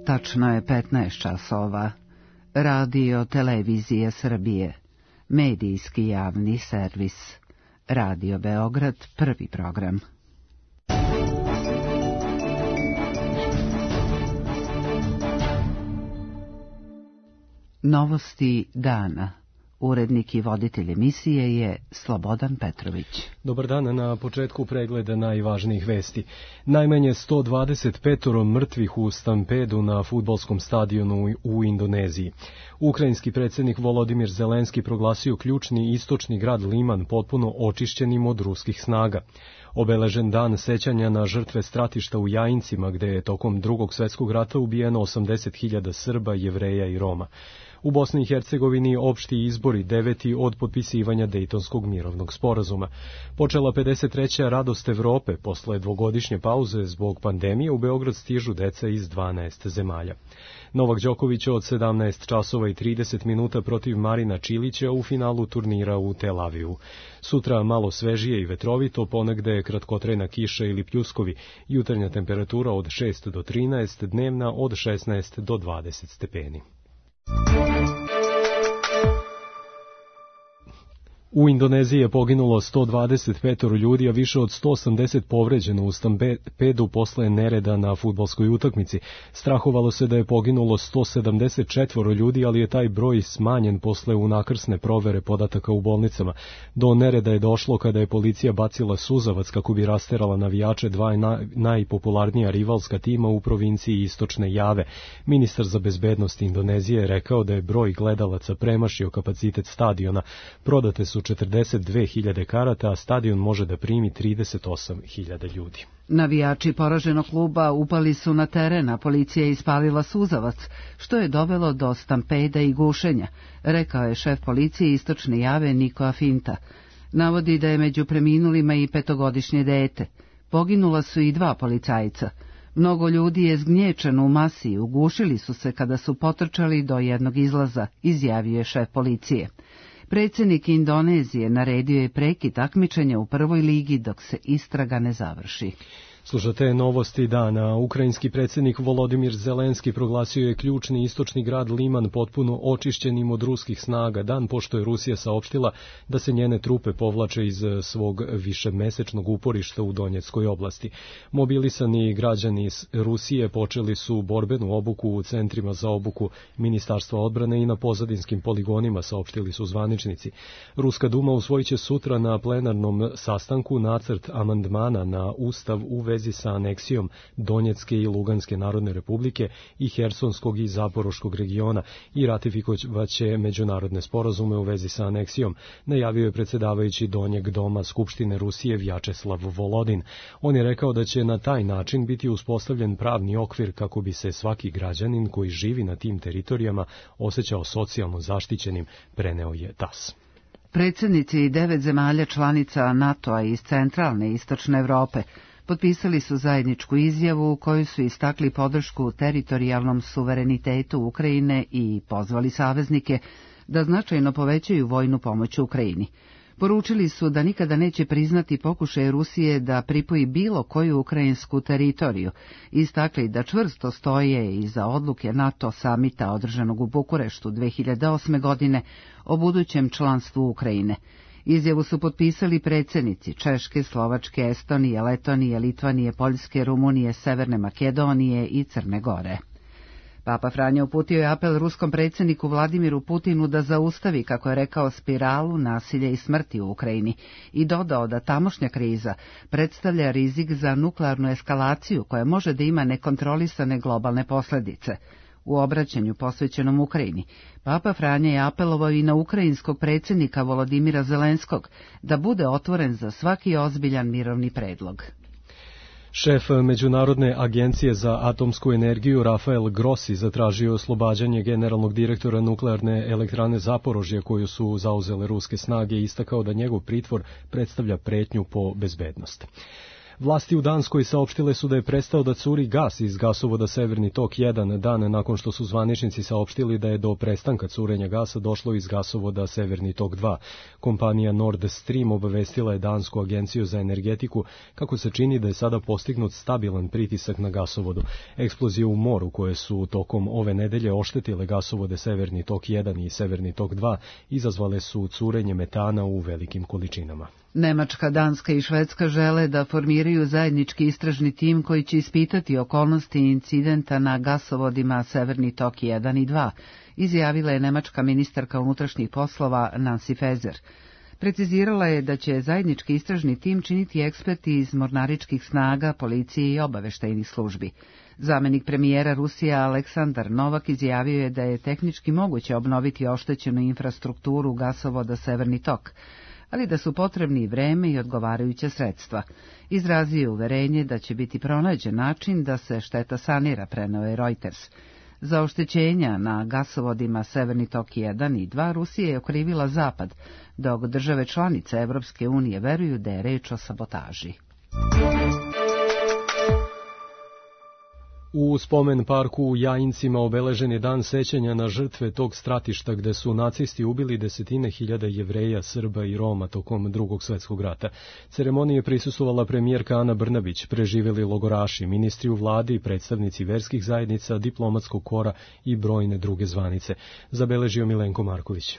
Tačno je 15 časova. Radio Televizije Srbije. Medijski javni servis. Radio Beograd, prvi program. Novosti dana. Urednik i voditelj emisije je Slobodan Petrović. Dobar dan, na početku pregleda najvažnijih vesti. Najmanje 125 mrtvih u stampedu na fudbalskom stadionu u Indoneziji. Ukrajinski predsjednik Volodimir Zelenski proglasio ključni istočni grad Liman potpuno očišćenim od ruskih snaga. Obeležen dan sećanja na žrtve stratišta u Jajincima, gde je tokom Drugog svjetskog rata ubijeno 80.000 Srba, Jevreja i Roma. U Bosni i Hercegovini opšti izbori 9. od potpisivanja Dejtonskog mirovnog sporazuma. Počela 53. radost Evrope. Posle dvogodišnje pauze zbog pandemije u Beograd stižu deca iz 12 zemalja. Novak Đoković od 17 časova i 30 minuta protiv Marina Čilića u finalu turnira u Tel Avivu. Sutra malo svežije i vetrovito, ponegde kratkotrajna kiša ili pljuskovi, jutarnja temperatura od 6 do 13, dnevna od 16 do 20 stepeni. U Indoneziji je poginulo 125 ljudi, a više od 180 povređeno u stampedu posle nereda na fudbalskoj utakmici. Strahovalo se da je poginulo 174 ljudi, ali je taj broj smanjen posle unakrsne provere podataka u bolnicama. Do nereda je došlo kada je policija bacila suzavac kako bi rasterala navijače dva najpopularnija rivalska tima u provinciji Istočne Jave. Ministar za bezbednost Indonezije je rekao da je broj gledalaca premašio kapacitet stadiona. Prodate su 42.000 karata, a stadion može da primi 38.000 ljudi. Navijači poraženog kluba upali su na teren, a policija je ispalila suzavac, što je dovelo do stampeda i gušenja, rekao je šef policije Istočne Jave Niko Afinta. Navodi da je među preminulima i 5-godišnje dete. Poginula su i 2 policajca. Mnogo ljudi je zgnječeno u masi i ugušili su se kada su potrčali do jednog izlaza, izjavio je šef policije. Predsjednik Indonezije naredio je prekid takmičenja u prvoj ligi dok se istraga ne završi. Slušate novosti dana. Ukrajinski predsjednik Volodimir Zelenski proglasio je ključni istočni grad Liman potpuno očišćenim od ruskih snaga, dan pošto je Rusija saopštila da se njene trupe povlače iz svog višemesečnog uporišta u Donjeckoj oblasti. Mobilisani građani Rusije počeli su borbenu obuku u centrima za obuku Ministarstva odbrane i na pozadinskim poligonima, saopštili su zvaničnici. Ruska duma usvojit će sutra na plenarnom sastanku nacrt amandmana na Ustav u vezi sa aneksijom Donjecke i Luganske narodne republike i Hersonskog i Zaporoškog regiona i ratifikovaće međunarodne sporazume u vezi sa aneksijom, najavio je predsjedavajući Donjeg doma Skupštine Rusije Vjačeslav Volodin. On je rekao da će na taj način biti uspostavljen pravni okvir kako bi se svaki građanin koji živi na tim teritorijama osjećao socijalno zaštićenim, preneo je TAS. Predsjednici 9 zemalja članica NATO-a iz centralne i istočne Evrope potpisali su zajedničku izjavu u kojoj su istakli podršku teritorijalnom suverenitetu Ukrajine i pozvali saveznike da značajno povećaju vojnu pomoć Ukrajini. Poručili su da nikada neće priznati pokušaj Rusije da pripoji bilo koju ukrajinsku teritoriju, istakli da čvrsto stoje iza odluke NATO samita održanog u Bukureštu 2008. godine o budućem članstvu Ukrajine. Izjavu su potpisali predsjednici Češke, Slovačke, Estonije, Letonije, Litvanije, Poljske, Rumunije, Severne Makedonije i Crne Gore. Papa Franjo uputio je apel ruskom predsjedniku Vladimiru Putinu da zaustavi, kako je rekao, spiralu nasilja i smrti u Ukrajini i dodao da tamošnja kriza predstavlja rizik za nuklearnu eskalaciju koja može da ima nekontrolisane globalne posljedice. U obraćanju posvećenom Ukrajini, Papa Franja je apelovao i na ukrajinskog predsjednika Volodimira Zelenskog da bude otvoren za svaki ozbiljan mirovni predlog. Šef Međunarodne agencije za atomsku energiju Rafael Grossi zatražio oslobađanje generalnog direktora nuklearne elektrane Zaporožje koju su zauzele ruske snage i istakao da njegov pritvor predstavlja pretnju po bezbednost. Vlasti u Danskoj saopštile su da je prestao da curi gas iz gasovoda Severni tok 1 dan nakon što su zvaničnici saopštili da je do prestanka curenja gasa došlo iz gasovoda Severni tok 2. Kompanija Nord Stream obavestila je Dansku agenciju za energetiku kako se čini da je sada postignut stabilan pritisak na gasovodu. Eksplozije u moru koje su tokom ove nedelje oštetile gasovode Severni tok 1 i Severni tok 2 izazvale su curenje metana u velikim količinama. Nemačka, Danska i Švedska žele da formiraju zajednički istražni tim koji će ispitati okolnosti incidenta na gasovodima Severni tok 1 i 2, izjavila je nemačka ministarka unutrašnjih poslova Nancy Faeser. Precizirala je da će zajednički istražni tim činiti eksperti iz mornaričkih snaga, policije i obaveštajnih službi. Zamenik premijera Rusije Aleksandar Novak izjavio je da je tehnički moguće obnoviti oštećenu infrastrukturu gasovoda Severni tok, ali da su potrebni vreme i odgovarajuća sredstva. Izrazio je uverenje da će biti pronađen način da se šteta sanira, preneo je Reuters. Za oštećenja na gasovodima Severni tok 1 i 2 Rusija je okrivila Zapad, dok države članice Evropske unije veruju da je reč o sabotaži. U spomen parku u Jajincima obeležen je dan sećanja na žrtve tog stratišta gde su nacisti ubili desetine hiljada Jevreja, Srba i Roma tokom Drugog svjetskog rata. Ceremoniji je prisustvovala premijerka Ana Brnabić, preživeli logoraši, ministri u vladi, predstavnici verskih zajednica, diplomatskog kora i brojne druge zvanice. Zabeležio Milenko Marković.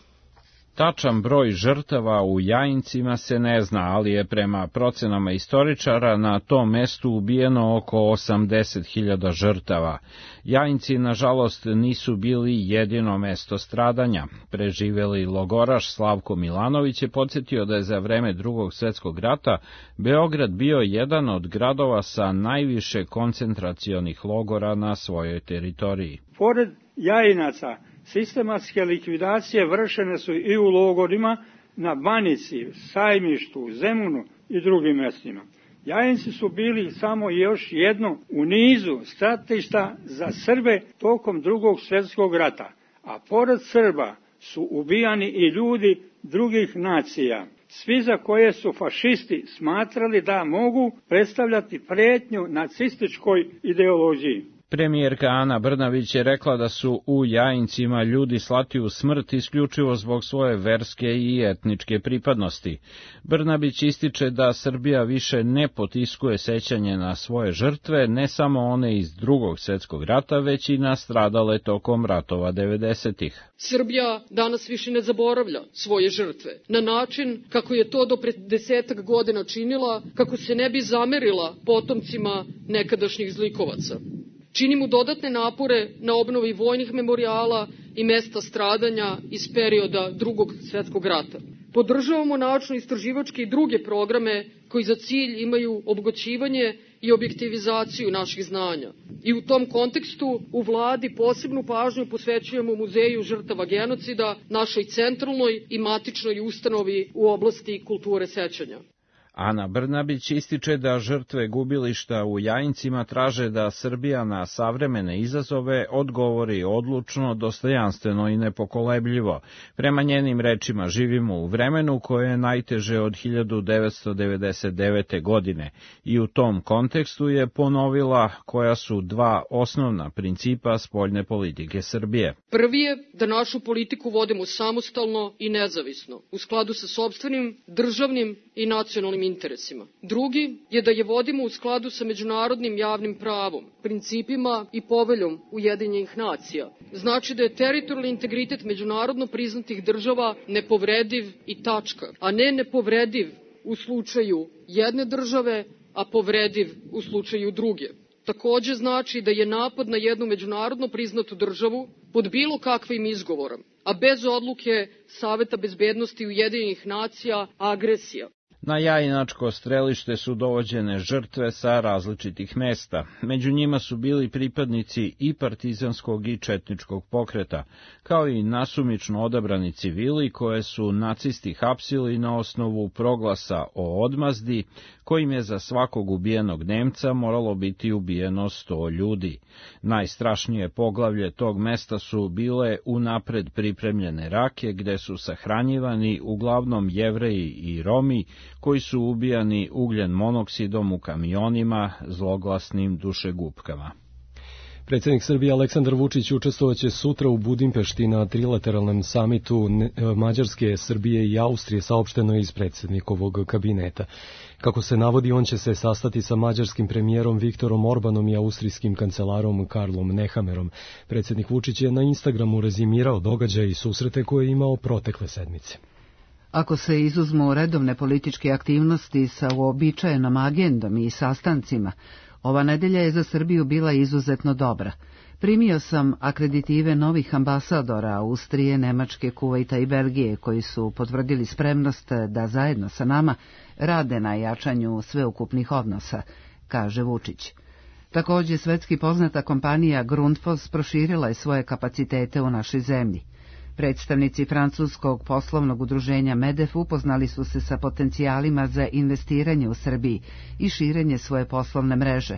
Tačan broj žrtava u Jajincima se ne zna, ali je prema procenama istoričara na tom mestu ubijeno oko 80.000 žrtava. Jajinci, nažalost, nisu bili jedino mesto stradanja. Preživeli logoraš Slavko Milanović je podsjetio da je za vreme Drugog svjetskog rata Beograd bio jedan od gradova sa najviše koncentracionih logora na svojoj teritoriji. Pored Jajinaca, sistematske likvidacije vršene su i u logorima na Banici, Sajmištu, Zemunu i drugim mjestima. Jajinci su bili samo još jedno u nizu stratišta za Srbe tokom Drugog svjetskog rata, a pored Srba su ubijani i ljudi drugih nacija, svi za koje su fašisti smatrali da mogu predstavljati prijetnju nacističkoj ideologiji. Premijerka Ana Brnabić je rekla da su u Jajincima ljudi slati u smrt isključivo zbog svoje verske i etničke pripadnosti. Brnabić ističe da Srbija više ne potiskuje sećanje na svoje žrtve, ne samo one iz Drugog svjetskog rata, već i nastradale tokom ratova 90-ih. Srbija danas više ne zaboravlja svoje žrtve na način kako je to do pre 10 godina činila, kako se ne bi zamerila potomcima nekadašnjih zlikovaca. Činimo dodatne napore na obnovi vojnih memorijala i mesta stradanja iz perioda Drugog svjetskog rata. Podržavamo naučno-istraživačke i druge programe koji za cilj imaju obogaćivanje i objektivizaciju naših znanja. I u tom kontekstu u vladi posebnu pažnju posvećujemo Muzeju žrtava genocida, našoj centralnoj i matičnoj ustanovi u oblasti kulture sećanja. Ana Brnabić ističe da žrtve gubilišta u Jajincima traže da Srbija na savremene izazove odgovori odlučno, dostojanstveno i nepokolebljivo. Prema njenim rečima živimo u vremenu koje je najteže od 1999. godine i u tom kontekstu je ponovila koja su dva osnovna principa spoljne politike Srbije. Prvi je da našu politiku vodimo samostalno i nezavisno, u skladu sa sopstvenim, državnim i nacionalnim interesima. Drugi je da je vodimo u skladu sa međunarodnim javnim pravom, principima i poveljom Ujedinjenih nacija. Znači da je teritorijalni integritet međunarodno priznatih država nepovrediv i tačka, a ne nepovrediv u slučaju jedne države, a povrediv u slučaju druge. Takođe znači da je napad na jednu međunarodno priznatu državu pod bilo kakvim izgovorom, a bez odluke Saveta bezbednosti Ujedinjenih nacija, agresija. Na Jajinačko strelište su dovođene žrtve sa različitih mesta. Među njima su bili pripadnici i partizanskog i četničkog pokreta, kao i nasumično odabrani civili koje su nacisti hapsili na osnovu proglasa o odmazdi, kojim je za svakog ubijenog Nemca moralo biti ubijeno 100 ljudi. Najstrašnije poglavlje tog mesta su bile unapred pripremljene rake, gde su sahranjivani uglavnom Jevreji i Romi, koji su ubijani ugljen monoksidom u kamionima, zloglasnim dušegupkama. Predsjednik Srbije Aleksandar Vučić učestvovaće sutra u Budimpešti na trilateralnom samitu Mađarske, Srbije i Austrije, saopšteno iz predsjednikovog kabineta. Kako se navodi, on će se sastati sa mađarskim premijerom Viktorom Orbanom i austrijskim kancelarom Karlom Nehammerom. Predsjednik Vučić je na Instagramu rezimirao događaje i susrete koje je imao protekle sedmice. Ako se izuzmu redovne političke aktivnosti sa uobičajenom agendom i sastancima, ova nedelja je za Srbiju bila izuzetno dobra. Primio sam akreditive novih ambasadora Austrije, Nemačke, Kuvajta i Belgije, koji su potvrdili spremnost da zajedno sa nama rade na jačanju sveukupnih odnosa, kaže Vučić. Također, svetski poznata kompanija Grundfos proširila je svoje kapacitete u našoj zemlji. Predstavnici francuskog poslovnog udruženja MEDEF upoznali su se sa potencijalima za investiranje u Srbiji i širenje svoje poslovne mreže,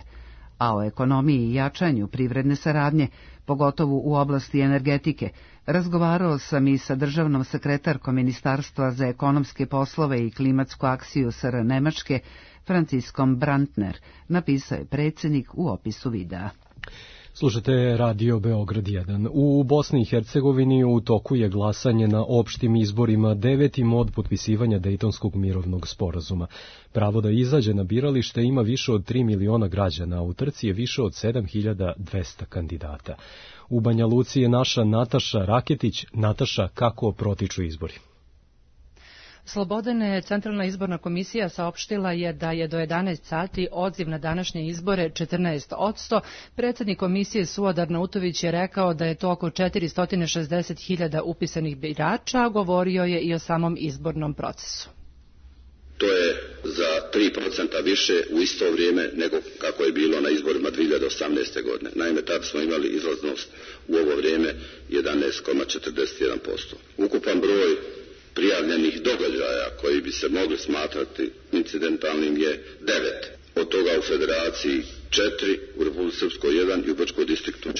a o ekonomiji i jačanju privredne saradnje, pogotovo u oblasti energetike, razgovarao sam i sa državnom sekretarkom Ministarstva za ekonomske poslove i klimatsku akciju SR Nemačke, Franciskom Brandner, napisao je predsjednik u opisu videa. Slušate Radio Beograd 1. U Bosni i Hercegovini u toku je glasanje na opštim izborima 9. od potpisivanja Dejtonskog mirovnog sporazuma. Pravo da izađe na biralište ima više od 3 miliona građana, a u trci je više od 7200 kandidata. U Banja Luci je naša Nataša Raketić. Nataša, kako protiču izbori? Slobodane, Centralna izborna komisija saopštila je da je do 11 sati odziv na današnje izbore 14%. Predsjednik komisije Suodar Nautović je rekao da je to oko 460.000 upisanih birača, govorio je i o samom izbornom procesu. To je za 3% više u isto vrijeme nego kako je bilo na izborima 2018. godine. Naime, tad smo imali izlaznost u ovo vrijeme 11,41%. Ukupan broj prijavljenih događaja koji bi se mogli smatrati incidentalnim je 9. Od toga u Federaciji 4, u Republici Srpskoj 1 i u Brčkom distriktu 4.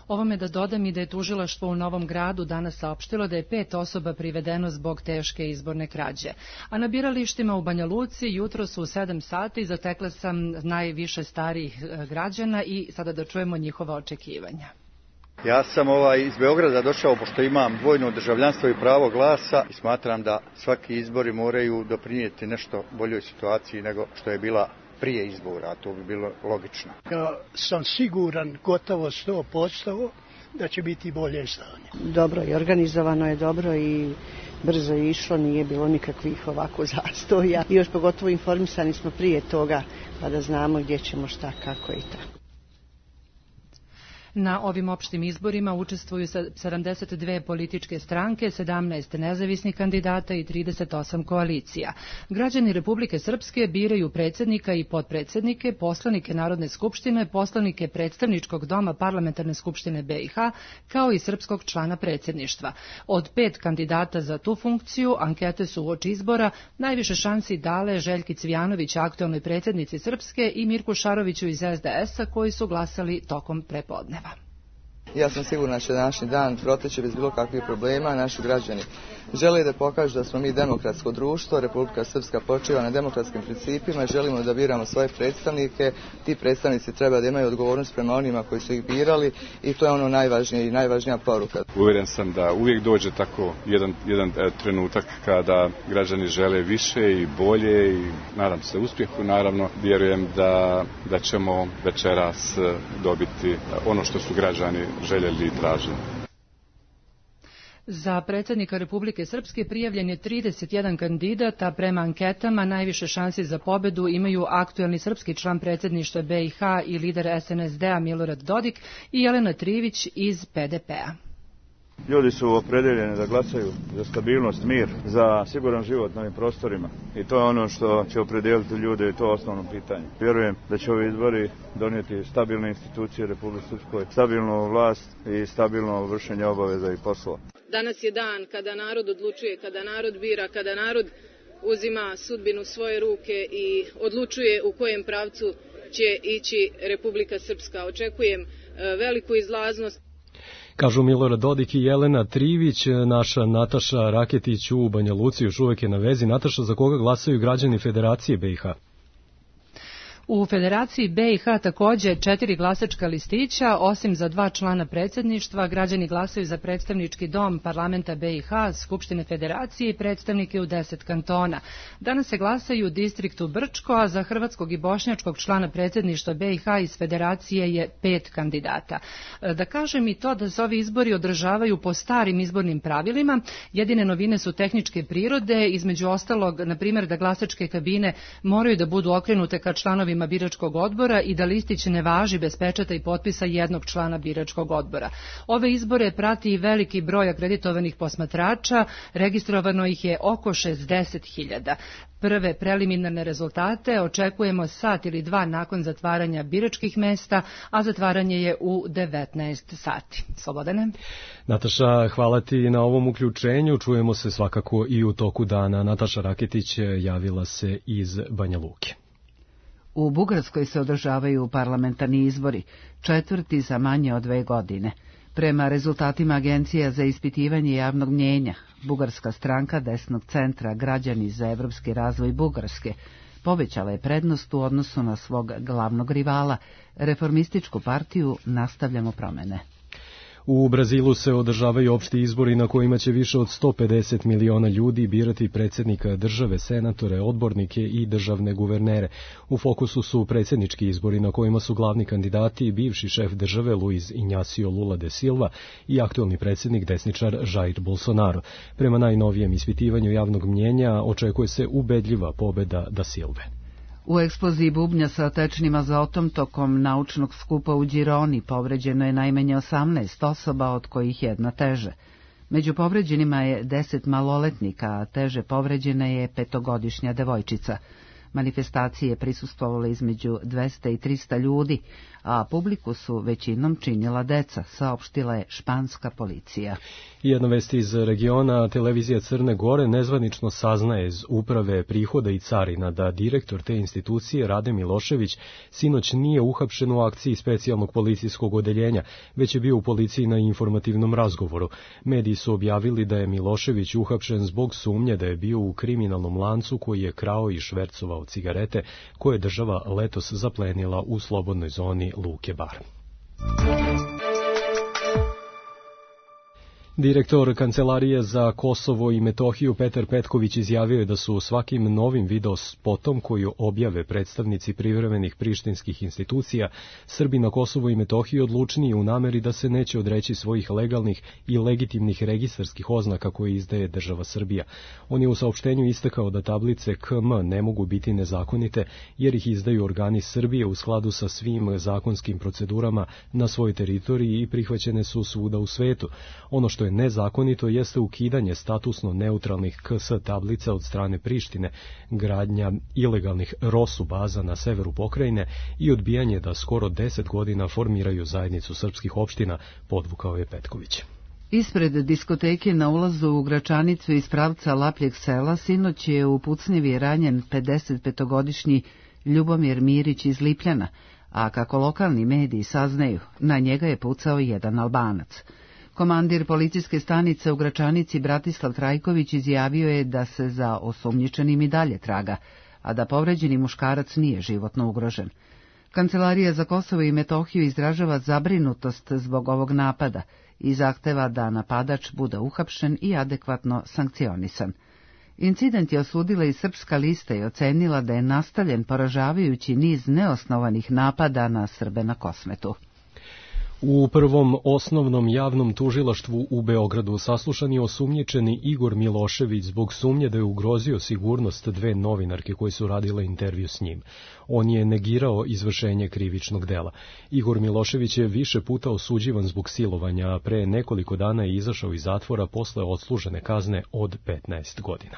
Ovome da dodam i da je tužilaštvo u Novom Gradu danas saopštilo da je 5 osoba privedeno zbog teške izborne krađe. A na biralištima u Banja Luci jutro su u 7 sati zatekla sam najviše starijih građana i sada da čujemo njihova očekivanja. Ja sam iz Beograda došao pošto imam dvojno državljanstvo i pravo glasa i smatram da svaki izbori moraju doprinijeti nešto boljoj situaciji nego što je bila prije izbora, a to bi bilo logično. Ja sam siguran gotovo 100% da će biti bolje stanje. Dobro i organizovano je dobro i brzo je išlo, nije bilo nikakvih ovako zastoja. I još pogotovo informisani smo prije toga pa da znamo gdje ćemo šta, kako i tako. Na ovim opštim izborima učestvuju 72 političke stranke, 17 nezavisnih kandidata i 38 koalicija. Građani Republike Srpske biraju predsjednika i potpredsjednike, poslanike Narodne skupštine, poslanike predstavničkog doma Parlamentarne skupštine BiH, kao i srpskog člana predsjedništva. Od 5 kandidata za tu funkciju ankete su uoči izbora najviše šansi dale Željki Cvijanović, aktualnoj predsjednici Srpske, i Mirku Šaroviću iz SDS-a, koji su glasali tokom prepodneva. Ja sam sigurna da će današnji dan proteći bez bilo kakvih problema. Naši građani žele da pokažu da smo mi demokratsko društvo, Republika Srpska počiva na demokratskim principima, želimo da biramo svoje predstavnike, ti predstavnici treba da imaju odgovornost prema onima koji su ih birali i to je ono najvažnije i najvažnija poruka. Uvjeren sam da uvijek dođe tako jedan trenutak kada građani žele više i bolje i nadam se uspjehu, naravno vjerujem da ćemo večeras dobiti ono što su građani željeli i tražili. Za predsjednika Republike Srpske prijavljen je 31 kandidat, a prema anketama najviše šansi za pobedu imaju aktuelni srpski član predsjedništva BiH i lider SNSD-a Milorad Dodik i Jelena Trivić iz PDP-a. Ljudi su opredeljeni da glasaju za stabilnost, mir, za siguran život na ovim prostorima i to je ono što će opredijeliti ljude i to je osnovno pitanje. Vjerujem da će ovi izbori donijeti stabilne institucije Republike Srpskoj, stabilnu vlast i stabilno vršenje obaveza i poslova. Danas je dan kada narod odlučuje, kada narod bira, kada narod uzima sudbinu u svoje ruke i odlučuje u kojem pravcu će ići Republika Srpska. Očekujem veliku izlaznost. Kažu Milorad Dodik i Jelena Trivić. Naša Nataša Raketić u Banja Luci još uvek je na vezi. Nataša, za koga glasaju građani Federacije BiH? U Federaciji BiH takođe 4 glasačka listića, osim za 2 člana predsjedništva, građani glasaju za predstavnički dom parlamenta BiH, Skupštine Federacije i predstavnike u 10 kantona. Danas se glasaju u distriktu Brčko, a za hrvatskog i bošnjačkog člana predsjedništva BiH iz Federacije je 5 kandidata. Da kažem i to da se ovi izbori održavaju po starim izbornim pravilima, jedine novine su tehničke prirode, između ostalog, na primjer, da glasačke kabine moraju da budu okrenute ka članovima biračkog odbora i da listić ne važi bez pečata i potpisa jednog člana biračkog odbora. Ove izbore prati i veliki broj akreditovanih posmatrača, registrovano ih je oko 60.000. Prve preliminarne rezultate očekujemo sat ili 2 nakon zatvaranja biračkih mesta, a zatvaranje je u 19 sati. Slobodane. Nataša, hvala ti na ovom uključenju. Čujemo se svakako i u toku dana. Nataša Raketić javila se iz Banja Luke. U Bugarskoj se održavaju parlamentarni izbori, 4. za manje od 2 godine. Prema rezultatima Agencija za ispitivanje javnog mnjenja, bugarska stranka desnog centra Građani za evropski razvoj Bugarske povećala je prednost u odnosu na svog glavnog rivala, Reformističku partiju Nastavljamo promene. U Brazilu se održavaju opšti izbori na kojima će više od 150 miliona ljudi birati predsjednika države, senatore, odbornike i državne guvernere. U fokusu su predsjednički izbori na kojima su glavni kandidati bivši šef države Luiz Inácio Lula da Silva i aktuelni predsjednik desničar Jair Bolsonaro. Prema najnovijem ispitivanju javnog mnjenja očekuje se ubedljiva pobeda da Silve. U eksploziji bubnja sa tečnim azotom tokom naučnog skupa u Gironi povređeno je najmanje 18 osoba, od kojih jedna teže. Među povređenima je 10 maloletnika, a teže povređena je 5-godišnja devojčica. Manifestacije prisustvovale između 200 i 300 ljudi, a publiku su većinom činila deca, saopštila je španska policija. Jedna vest iz regiona, televizija Crne Gore nezvanično saznaje iz uprave prihoda i carina da direktor te institucije Rade Milošević sinoć nije uhapšen u akciji specijalnog policijskog odeljenja, već je bio u policiji na informativnom razgovoru. Mediji su objavili da je Milošević uhapšen zbog sumnje da je bio u kriminalnom lancu koji je krao i švercovao cigarete koje je država letos zaplenila u slobodnoj zoni Luke Bar. Direktor Kancelarije za Kosovo i Metohiju Petar Petković izjavio je da su svakim novim video spotom koju objave predstavnici privremenih prištinskih institucija Srbi na Kosovo i Metohiji odlučniji u nameri da se neće odreći svojih legalnih i legitimnih registarskih oznaka koje izdaje država Srbija. On je u saopštenju istakao da tablice KM ne mogu biti nezakonite jer ih izdaju organi Srbije u skladu sa svim zakonskim procedurama na svojoj teritoriji i prihvaćene su svuda u svetu. Ono što je nezakonito jeste ukidanje statusno neutralnih KS tablica od strane Prištine, gradnja ilegalnih ROSU baza na severu pokrajine i odbijanje da skoro 10 godina formiraju zajednicu srpskih opština, podvukao je Petković. Ispred diskoteke na ulazu u Gračanicu iz pravca Lapljeg sela sinoć je u pucnjevi ranjen 55-godišnji Ljubomir Mirić iz Lipljana, a kako lokalni mediji saznaju, na njega je pucao jedan Albanac. Komandir policijske stanice u Gračanici Bratislav Trajković izjavio je da se za osumnjičenim i dalje traga, a da povređeni muškarac nije životno ugrožen. Kancelarija za Kosovo i Metohiju izražava zabrinutost zbog ovog napada i zahteva da napadač bude uhapšen i adekvatno sankcionisan. Incident je osudila i Srpska lista i ocenila da je nastavljen poražavajući niz neosnovanih napada na Srbe na Kosmetu. U prvom osnovnom javnom tužilaštvu u Beogradu saslušan je osumnjičeni Igor Milošević zbog sumnje da je ugrozio sigurnost 2 novinarke koje su radile intervju s njim. On je negirao izvršenje krivičnog dela. Igor Milošević je više puta osuđivan zbog silovanja, a pre nekoliko dana je izašao iz zatvora posle odslužene kazne od 15 godina.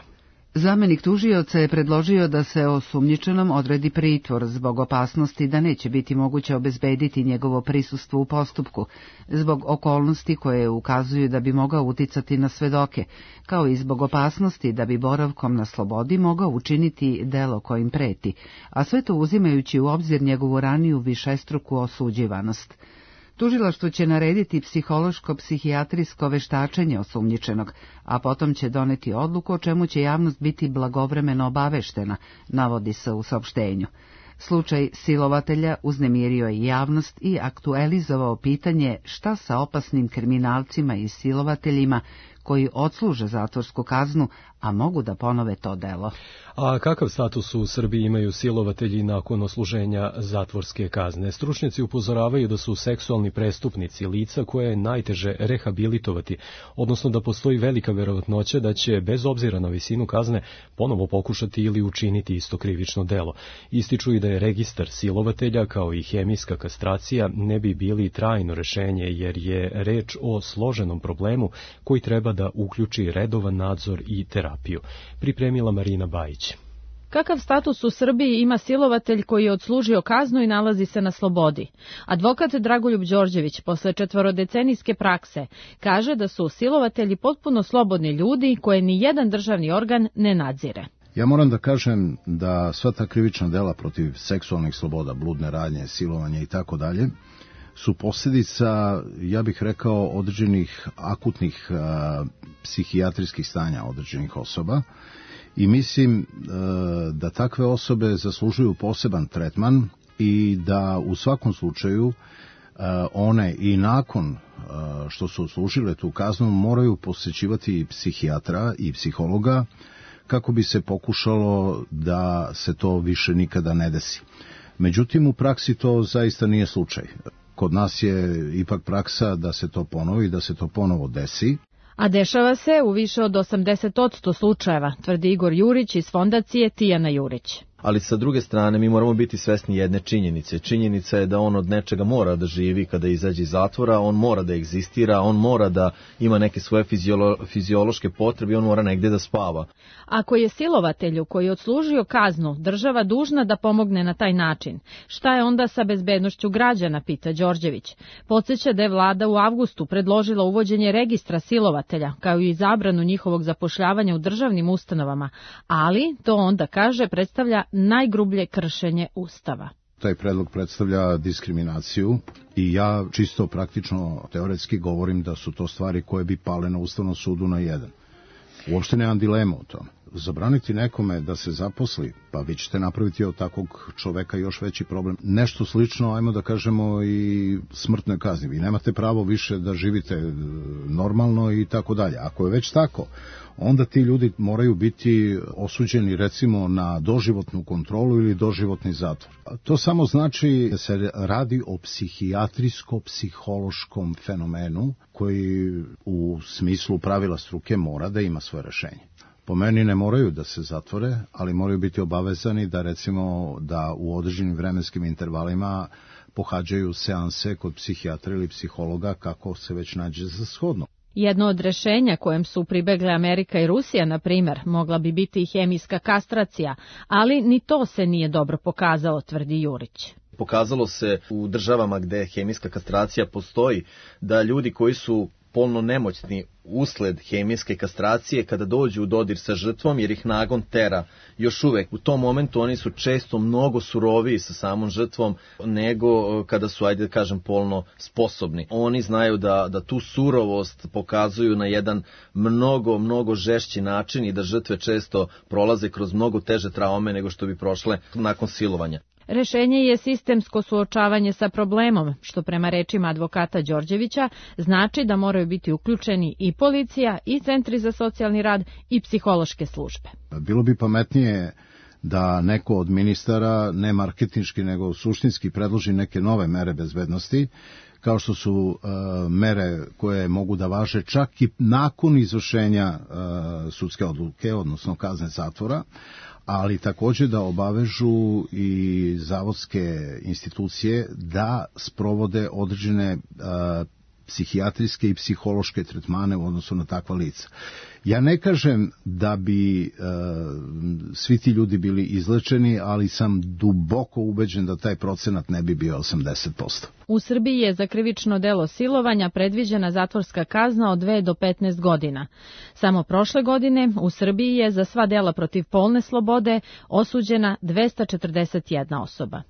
Zamenik tužioca je predložio da se osumnjičenom odredi pritvor zbog opasnosti da neće biti moguće obezbediti njegovo prisustvo u postupku, zbog okolnosti koje ukazuju da bi mogao uticati na svedoke, kao i zbog opasnosti da bi boravkom na slobodi mogao učiniti delo kojim preti, a sve to uzimajući u obzir njegovu raniju višestruku osuđivanost. Tužilaštvo će narediti psihološko-psihijatrijsko veštačenje osumnjičenog, a potom će doneti odluku o čemu će javnost biti blagovremeno obaveštena, navodi se u saopštenju. Slučaj silovatelja uznemirio je javnost i aktualizovao pitanje šta sa opasnim kriminalcima i silovateljima koji odsluže zatvorsku kaznu, a mogu da ponove to delo. A kakav status u Srbiji imaju silovatelji nakon odsluženja zatvorske kazne? Stručnjaci upozoravaju da su seksualni prestupnici lica koje je najteže rehabilitovati, odnosno da postoji velika verovatnoća da će, bez obzira na visinu kazne, ponovo pokušati ili učiniti isto krivično delo. Ističu i da je registar silovatelja kao i hemijska kastracija ne bi bili trajno rešenje, jer je reč o složenom problemu koji treba da uključi redovan nadzor i terapiju. Pripremila Marina Bajić. Kakav status u Srbiji ima silovatelj koji je odslužio kaznu i nalazi se na slobodi? Advokat Dragoljub Đorđević, posle 4-decenijske prakse, kaže da su silovatelji potpuno slobodni ljudi koje ni jedan državni organ ne nadzire. Ja moram da kažem da sva ta krivična dela protiv seksualnih sloboda, bludne radnje, silovanja i tako dalje, su posljedica, ja bih rekao, određenih akutnih psihijatrijskih stanja određenih osoba i mislim da takve osobe zaslužuju poseban tretman i da u svakom slučaju one i nakon što su odslužile tu kaznu moraju posjećivati psihijatra i psihologa kako bi se pokušalo da se to više nikada ne desi. Međutim, u praksi to zaista nije slučaj. Kod nas je ipak praksa da se to ponovi, da se to ponovo desi. A dešava se u više od 80% slučajeva, tvrdi Igor Jurić iz fondacije Tijana Jurić. Ali sa druge strane mi moramo biti svesni jedne činjenice. Činjenica je da on od nečega mora da živi kada izađe iz zatvora, on mora da egzistira, on mora da ima neke svoje fiziološke potrebe i on mora negde da spava. Ako je silovatelju koji je odslužio kaznu država dužna da pomogne na taj način, šta je onda sa bezbednošću građana, pita Đorđević. Podseća da je vlada u avgustu predložila uvođenje registra silovatelja, kao i zabranu njihovog zapošljavanja u državnim ustanovama, ali to onda, kaže, predstavlja najgrublje kršenje Ustava. Taj predlog predstavlja diskriminaciju i ja čisto praktično teoretski govorim da su to stvari koje bi pale na Ustavnom sudu na jedan. Uopšte nemam dilemu o tome. Zabraniti nekome da se zaposli, pa vi ćete napraviti od takvog čoveka još veći problem. Nešto slično, ajmo da kažemo, i smrtnoj kazni. Vi nemate pravo više da živite normalno i tako dalje. Ako je već tako, onda ti ljudi moraju biti osuđeni recimo na doživotnu kontrolu ili doživotni zatvor. To samo znači da se radi o psihijatrijsko-psihološkom fenomenu koji u smislu pravila struke mora da ima svoje rešenje. Po meni ne moraju da se zatvore, ali moraju biti obavezani da recimo da u određenim vremenskim intervalima pohađaju seanse kod psihijatra ili psihologa kako se već nađe za shodno. Jedno od rešenja kojem su pribegle Amerika i Rusija, na primer, mogla bi biti i hemijska kastracija, ali ni to se nije dobro pokazalo, tvrdi Jurić. Pokazalo se u državama gde hemijska kastracija postoji da ljudi koji su polno nemoćni usled hemijske kastracije kada dođu u dodir sa žrtvom jer ih nagon tera. Još uvek u tom momentu oni su često mnogo suroviji sa samom žrtvom nego kada su, ajde da kažem, polno sposobni. Oni znaju da tu surovost pokazuju na jedan mnogo žešći način i da žrtve često prolaze kroz mnogo teže traume nego što bi prošle nakon silovanja. Rešenje je sistemsko suočavanje sa problemom, što prema rečima advokata Đorđevića znači da moraju biti uključeni i policija, i centri za socijalni rad, i psihološke službe. Bilo bi pametnije da neko od ministara, ne marketinški nego suštinski, predloži neke nove mere bezbednosti, kao što su mere koje mogu da važe čak i nakon izvršenja sudske odluke, odnosno kazne zatvora, ali također da obavežu i zavodske institucije da sprovode određene psihijatrijske i psihološke tretmane u odnosu na takva lica. Ja ne kažem da bi svi ti ljudi bili izlečeni, ali sam duboko ubeđen da taj procenat ne bi bio 80%. U Srbiji je za krivično delo silovanja predviđena zatvorska kazna od 2 do 15 godina. Samo prošle godine u Srbiji je za sva dela protiv polne slobode osuđena 241 osoba.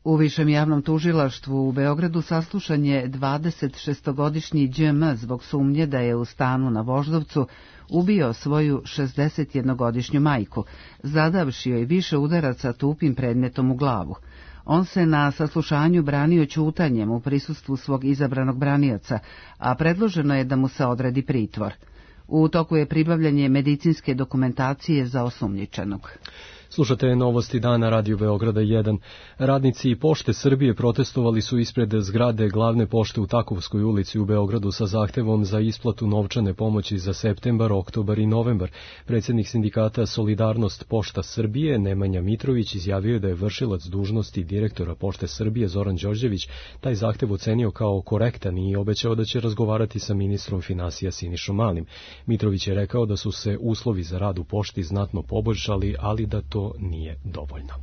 U Višem javnom tužilaštvu u Beogradu saslušan je 26-godišnji Đ.M. zbog sumnje da je u stanu na Voždovcu ubio svoju 61-godišnju majku, zadavši joj više udaraca tupim predmetom u glavu. On se na saslušanju branio ćutanjem u prisustvu svog izabranog branioca, a predloženo je da mu se odredi pritvor. U toku je pribavljanje medicinske dokumentacije za osumnjičenog. Slušate novosti dana Radio Beograda 1. Radnici Pošte Srbije protestovali su ispred zgrade glavne pošte u Takovskoj ulici u Beogradu sa zahtevom za isplatu novčane pomoći za septembar, oktobar i novembar. Predsjednik sindikata Solidarnost Pošta Srbije Nemanja Mitrović izjavio je da je vršilac dužnosti direktora Pošte Srbije Zoran Đorđević taj zahtev ocenio kao korektan i obećao da će razgovarati sa ministrom finansija Sinišom Malim. Mitrović je rekao da su se uslovi za rad u pošti znatno poboljšali, ali da to nije dovoljno.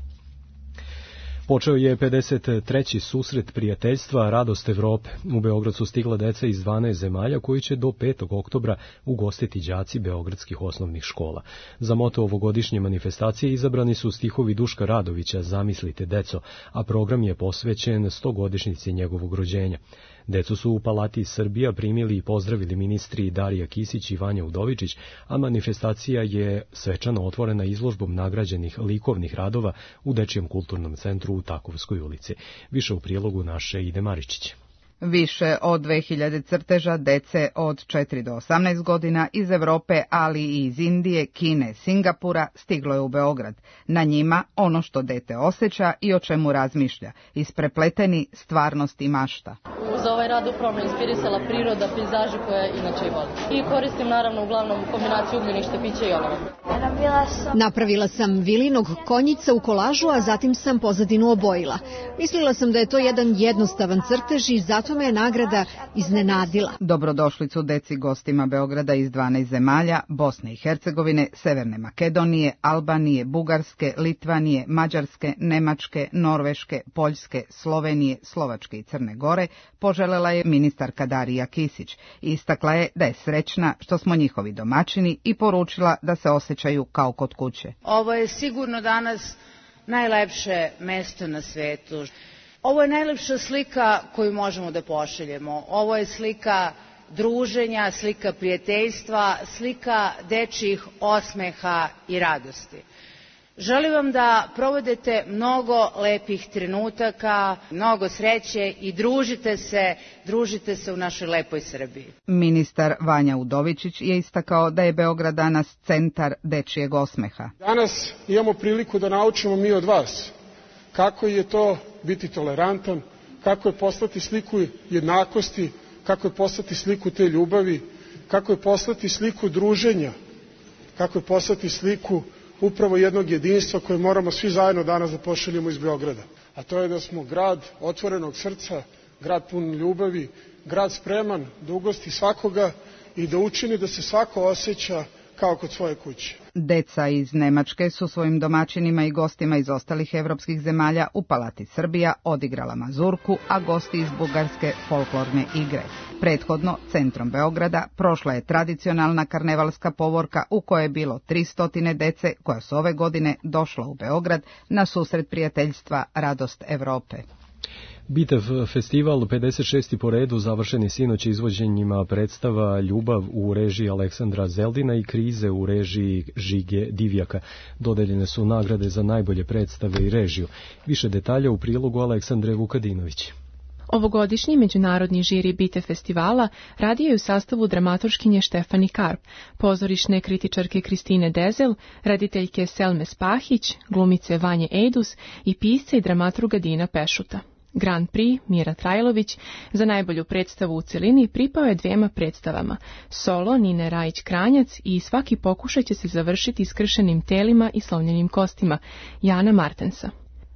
Počeo je 53. susret prijateljstva Radost Evrope. U Beograd su stigla deca iz 12 zemalja koji će do 5. oktobra ugostiti đaci beogradskih osnovnih škola. Za moto ovogodišnje manifestacije izabrani su stihovi Duška Radovića Zamislite deco, a program je posvećen 100-godišnjici njegovog rođenja. Decu su u Palati Srbija primili i pozdravili ministri Darija Kisić i Vanja Udovičić, a manifestacija je svečano otvorena izložbom nagrađenih likovnih radova u Dečijem kulturnom centru u Takovskoj ulici. Više u prilogu naše Ide Maričić. Više od 2000 crteža dece od 4 do 18 godina iz Evrope, ali i iz Indije, Kine, Singapura stiglo je u Beograd. Na njima ono što dete osjeća i o čemu razmišlja, isprepleteni stvarnost i mašta. Za ovaj rad upravo me inspirisala priroda, pejzaži koje inače i volim. I koristim naravno uglavnom kombinaciju ugljenih štapića i olova. Napravila sam Vilinog konjica u kolažu, a zatim sam pozadinu obojila. Mislila sam da je to jedan jednostavan crtež i zato me je nagrada iznenadila. Dobrodošlicu deci gostima Beograda iz 12 zemalja, Bosne i Hercegovine, Severne Makedonije, Albanije, Bugarske, Litvanije, Mađarske, Nemačke, Norveške, Poljske, Slovenije, Slovačke i Crne Gore, poželela je ministarka Darija Kisić. Istakla je da je srećna što smo njihovi domaćini i poručila da se osjećaju kao kod kuće. Ovo je sigurno danas najlepše mesto na svetu. Ovo je najlepša slika koju možemo da pošaljemo. Ovo je slika druženja, slika prijateljstva, slika dečjih osmeha i radosti. Želim vam da provedete mnogo lepih trenutaka, mnogo sreće i družite se u našoj lepoj Srbiji. Ministar Vanja Udovičić je istakao da je Beograd danas centar dečijeg osmeha. Danas imamo priliku da naučimo mi od vas kako je to biti tolerantan, kako je poslati sliku jednakosti, kako je poslati sliku te ljubavi, kako je poslati sliku druženja, kako je poslati sliku upravo jednog jedinstva koje moramo svi zajedno danas da pošaljemo iz Beograda. A to je da smo grad otvorenog srca, grad pun ljubavi, grad spreman da ugosti svakoga i da učini da se svako osjeća kao kod svoje kuće. Deca iz Nemačke su svojim domaćinima i gostima iz ostalih evropskih zemalja u Palati Srbija odigrala mazurku, a gosti iz Bugarske folklorne igre. Prethodno, centrom Beograda, prošla je tradicionalna karnevalska povorka u kojoj je bilo 300 dece koja su ove godine došla u Beograd na susret prijateljstva Radost Evrope. Bitev festival 56. po redu završeni sinoć izvođenjima predstava Ljubav u režiji Aleksandra Zeldina i Krize u režiji Žige Divjaka. Dodeljene su nagrade za najbolje predstave i režiju. Više detalja u prilogu Aleksandre Vukadinović. Ovogodišnji međunarodni žiri Bitev festivala radio je u sastavu dramaturškinje Štefani Karp, pozorišne kritičarke Kristine Dezel, rediteljke Selme Spahić, glumice Vanje Ejdus i pisca i dramaturga Dina Pešuta. Grand Prix Mira Trajlović za najbolju predstavu u celini pripao je 2 predstavama, solo Nine Rajić-Kranjac i Svaki pokušaj će se završiti iskršenim telima i slomljenim kostima Jana Martensa.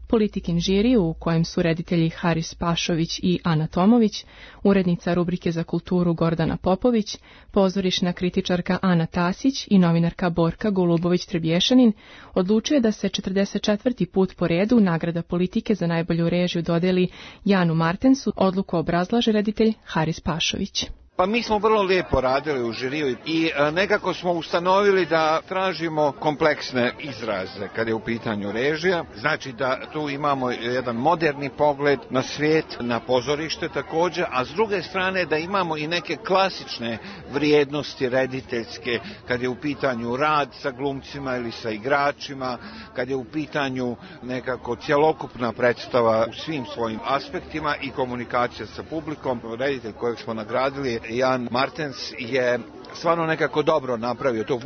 Politikin žiri u kojem su reditelji Haris Pašović i Ana Tomović, urednica rubrike za kulturu Gordana Popović, pozorišna kritičarka Ana Tasić i novinarka Borka Golubović-Trebješanin, odlučuje da se 44. put po redu nagrada Politike za najbolju režiju dodeli Janu Martensu. Odluku obrazlaže reditelj Haris Pašović. Pa mi smo vrlo lijepo radili u žiriju i nekako smo ustanovili da tražimo kompleksne izraze kad je u pitanju režija. Znači da tu imamo jedan moderni pogled na svijet, na pozorište također, a s druge strane da imamo i neke klasične vrijednosti rediteljske kad je u pitanju rad sa glumcima ili sa igračima, kad je u pitanju nekako cjelokupna predstava u svim svojim aspektima i komunikacija sa publikom. Reditelj kojeg smo nagradili, Jan Martens, je stvarno nekako dobro napravio to.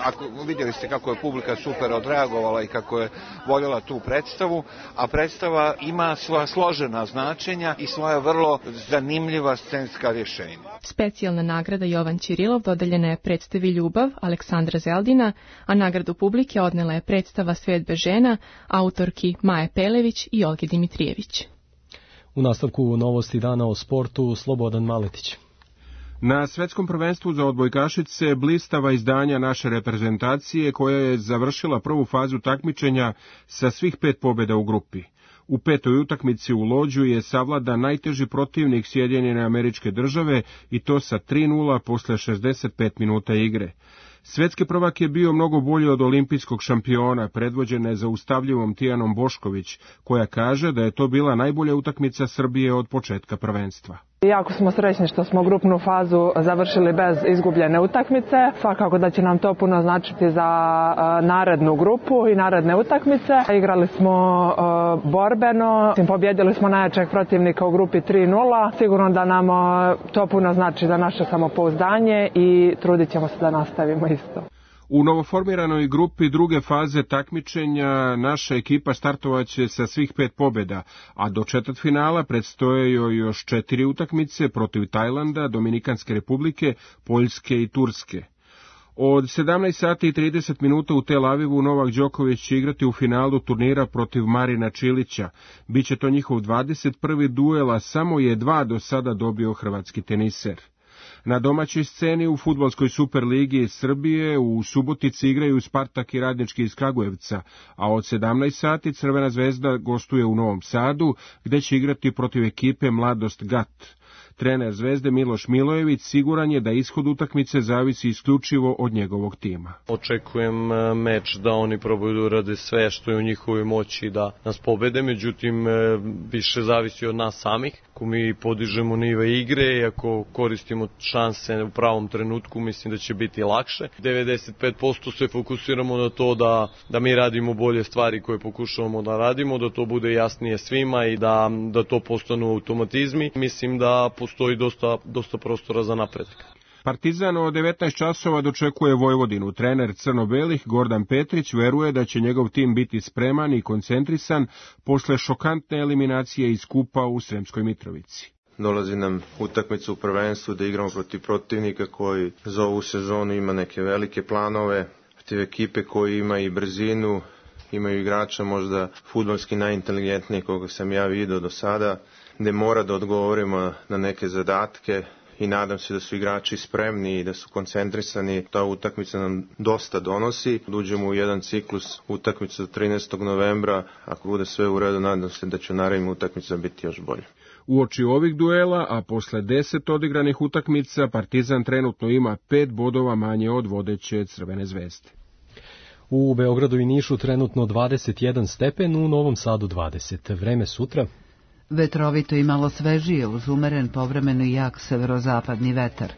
Ako vidjeli ste kako je publika super odreagovala i kako je voljela tu predstavu, a predstava ima svoja složena značenja i svoja vrlo zanimljiva scenska rješenja. Specijalna nagrada Jovan Ćirilov dodeljena je predstavi Ljubav Aleksandra Zeldina, a nagradu publike odnela je predstava Svijet bez žena autorki Maje Pelević i Olge Dimitrijević. U nastavku novosti dana o sportu Slobodan Maletić. Na svetskom prvenstvu za odbojkašice blistava izdanja naše reprezentacije koja je završila prvu fazu takmičenja sa svih 5 pobjeda u grupi. U 5. utakmici u Lođu je savladan najteži protivnik Sjedinjene Američke Države i to sa 3:0 posle 65 minuta igre. Svetski prvak je bio mnogo bolji od olimpijskog šampiona, predvođen nezaustavljivom Tijanom Bošković, koja kaže da je to bila najbolja utakmica Srbije od početka prvenstva. Jako smo srećni što smo grupnu fazu završili bez izgubljene utakmice. Svakako da će nam to puno značiti za narednu grupu i naredne utakmice. Igrali smo borbeno, pobjedili smo najjačeg protivnika u grupi 3:0. Sigurno da nam to puno znači za naše samopouzdanje i trudit ćemo se da nastavimo isto. U novoformiranoj grupi druge faze takmičenja naša ekipa startovaće sa svih 5 pobjeda, a do četvrtfinala predstoje joj još 4 utakmice protiv Tajlanda, Dominikanske republike, Poljske i Turske. Od 17:30 u Tel Avivu Novak Đoković će igrati u finalu turnira protiv Marina Čilića. Biće to njihov 21. duel, a samo je 2 do sada dobio hrvatski teniser. Na domaćoj sceni u fudbalskoj Superligi Srbije u Subotici igraju Spartak i Radnički iz Kragujevca, a od 17 Crvena zvezda gostuje u Novom Sadu, gde će igrati protiv ekipe Mladost Gat. Trener Zvezde Miloš Milojević siguran je da ishod utakmice zavisi isključivo od njegovog tima. Očekujem meč da oni probaju da urade sve što je u njihovoj moći da nas pobede, međutim više zavisi od nas samih. Ako mi podižemo nivo igre i ako koristimo šanse u pravom trenutku, mislim da će biti lakše. 95% se fokusiramo na to da mi radimo bolje stvari koje pokušavamo da radimo, da to bude jasnije svima i da to postanu automatizmi. Mislim da postoji dosta prostora za napredak. Partizan od 19 časova dočekuje Vojvodinu. Trener crno-belih Gordan Petrić veruje da će njegov tim biti spreman i koncentrisan posle šokantne eliminacije iz kupa u Sremskoj Mitrovici. Dolazi nam utakmica u prvenstvu da igramo protiv protivnika koji za ovu sezonu ima neke velike planove, protiv ekipe koji ima i brzinu, imaju igrača možda fudbalski najinteligentniji koga sam ja vidio do sada, gde mora da odgovorimo na neke zadatke i nadam se da su igrači spremni i da su koncentrisani. Ta utakmica nam dosta donosi. Uđemo u jedan ciklus utakmice do 13. novembra. Ako bude sve u redu, nadam se da će u narednim utakmicama biti još bolje. Uoči ovih duela, a posle 10 odigranih utakmica, Partizan trenutno ima 5 bodova manje od vodeće Crvene zvezde. U Beogradu i Nišu trenutno 21 stepen, u Novom Sadu 20. Vreme sutra. Vetrovito i malo svežije uz umeren povremeno jak severozapadni vetar.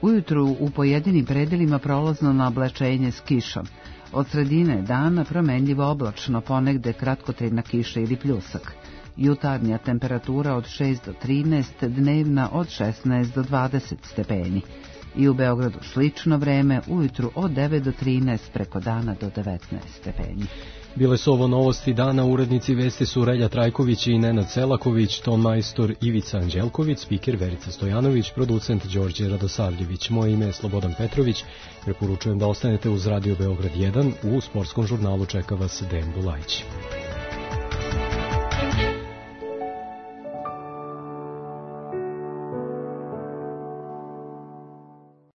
Ujutru u pojedinim predelima prolazno naoblačenje s kišom. Od sredine dana promenljivo oblačno, ponegde kratkotrajna kiša ili pljusak. Jutarnja temperatura od 6 do 13, dnevna od 16 do 20 stepeni. I u Beogradu slično vreme, ujutru od 9 do 13, preko dana do 19 stepeni. Bile su ovo novosti dana, urednici vesti su Relja Trajković i Nenad Selaković, ton majstor Ivica Anđelković, spiker Verica Stojanović, producent Đorđe Radosavljević. Moje ime je Slobodan Petrović, preporučujem da ostanete uz Radio Beograd 1, u sportskom žurnalu čeka vas Dejan Bulajić.